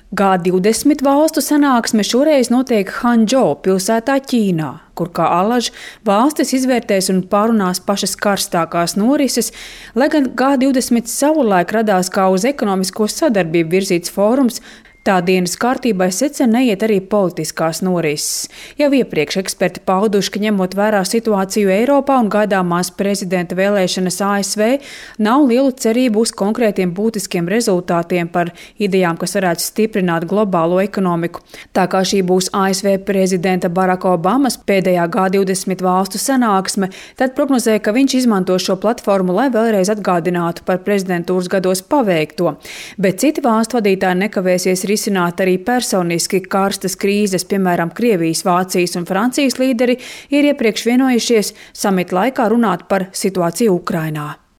G20 valstu sanāksme šoreiz notiek Hanžou pilsētā Ķīnā, kur kā alaž valstis izvērtēs un pārunās pašas karstākās norises, lai gan G20 savulaik radās kā uz ekonomisko sadarbību virzīts fórums, tā dienas kārtībai secen neiet arī politiskās norises. Jau iepriekš eksperti pauduši, ka ņemot vērā situāciju Eiropā un gaidāmās prezidenta vēlēšanas ASV, nav lielu cerību uz konkrētiem būtiskiem rezultātiem par idejām, kas varētu stiprināt globālo ekonomiku. Tā kā šī būs ASV prezidenta Baraka Obamas pēdējā G20 valstu sanāksme, tad prognozē, ka viņš izmanto šo platformu, lai vēlreiz atgādinātu par prezidentūras gados paveikto. Bet citi valstu vadītāji nekavēsies risināt arī personiski karstas krīzes, piemēram, Krievijas, Vācijas un Francijas līderi ir iepriekš vienojušies samita laikā runāt par situāciju Ukrainā.